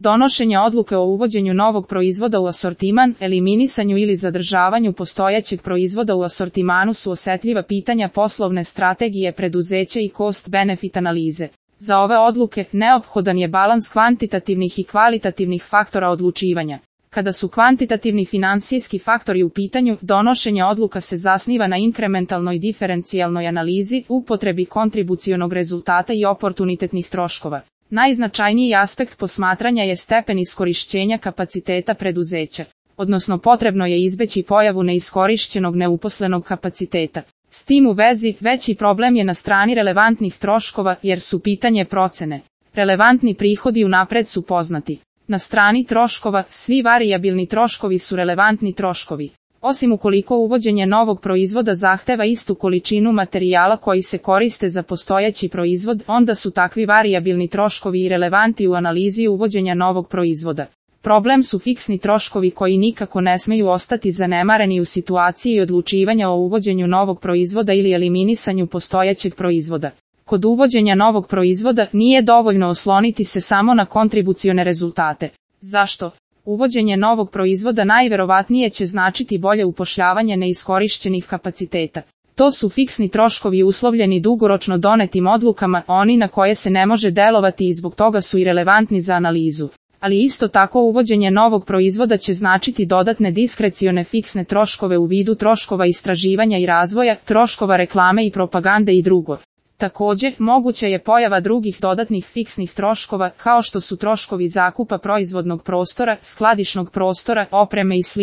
Donošenje odluke o uvođenju novog proizvoda u asortiman, eliminisanju ili zadržavanju postojećeg proizvoda u asortimanu su osetljiva pitanja poslovne strategije preduzeća i cost-benefit analize. Za ove odluke neophodan je balans kvantitativnih i kvalitativnih faktora odlučivanja. Kada su kvantitativni finansijski faktori u pitanju, donošenje odluka se zasniva na inkrementalnoj diferencijalnoj analizi, upotrebi kontribucionog rezultata i oportunitetnih troškova. Najznačajniji aspekt posmatranja je stepen iskorišćenja kapaciteta preduzeća, odnosno potrebno je izbeći pojavu neiskorišćenog neuposlenog kapaciteta. S tim u vezi, veći problem je na strani relevantnih troškova jer su pitanje procene. Relevantni prihodi unapred su poznati. Na strani troškova, svi varijabilni troškovi su relevantni troškovi. Osim ukoliko uvođenje novog proizvoda zahteva istu količinu materijala koji se koriste za postojeći proizvod, onda su takvi varijabilni troškovi i relevanti u analizi uvođenja novog proizvoda. Problem su fiksni troškovi koji nikako ne smeju ostati zanemareni u situaciji odlučivanja o uvođenju novog proizvoda ili eliminisanju postojećeg proizvoda. Kod uvođenja novog proizvoda nije dovoljno osloniti se samo na kontribucione rezultate. Zašto? Uvođenje novog proizvoda najverovatnije će značiti bolje upošljavanje neiskorišćenih kapaciteta. To su fiksni troškovi uslovljeni dugoročno donetim odlukama, oni na koje se ne može delovati i zbog toga su i relevantni za analizu. Ali isto tako uvođenje novog proizvoda će značiti dodatne diskrecione fiksne troškove u vidu troškova istraživanja i razvoja, troškova reklame i propagande i drugo. Također, moguća je pojava drugih dodatnih fiksnih troškova, kao što su troškovi zakupa proizvodnog prostora, skladišnog prostora, opreme i sl.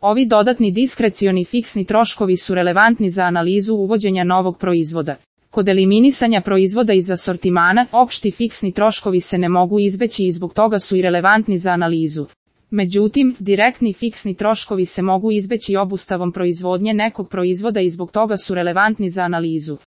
Ovi dodatni diskrecioni fiksni troškovi su relevantni za analizu uvođenja novog proizvoda. Kod eliminisanja proizvoda iz asortimana, opšti fiksni troškovi se ne mogu izbeći i zbog toga su i relevantni za analizu. Međutim, direktni fiksni troškovi se mogu izbeći obustavom proizvodnje nekog proizvoda i zbog toga su relevantni za analizu.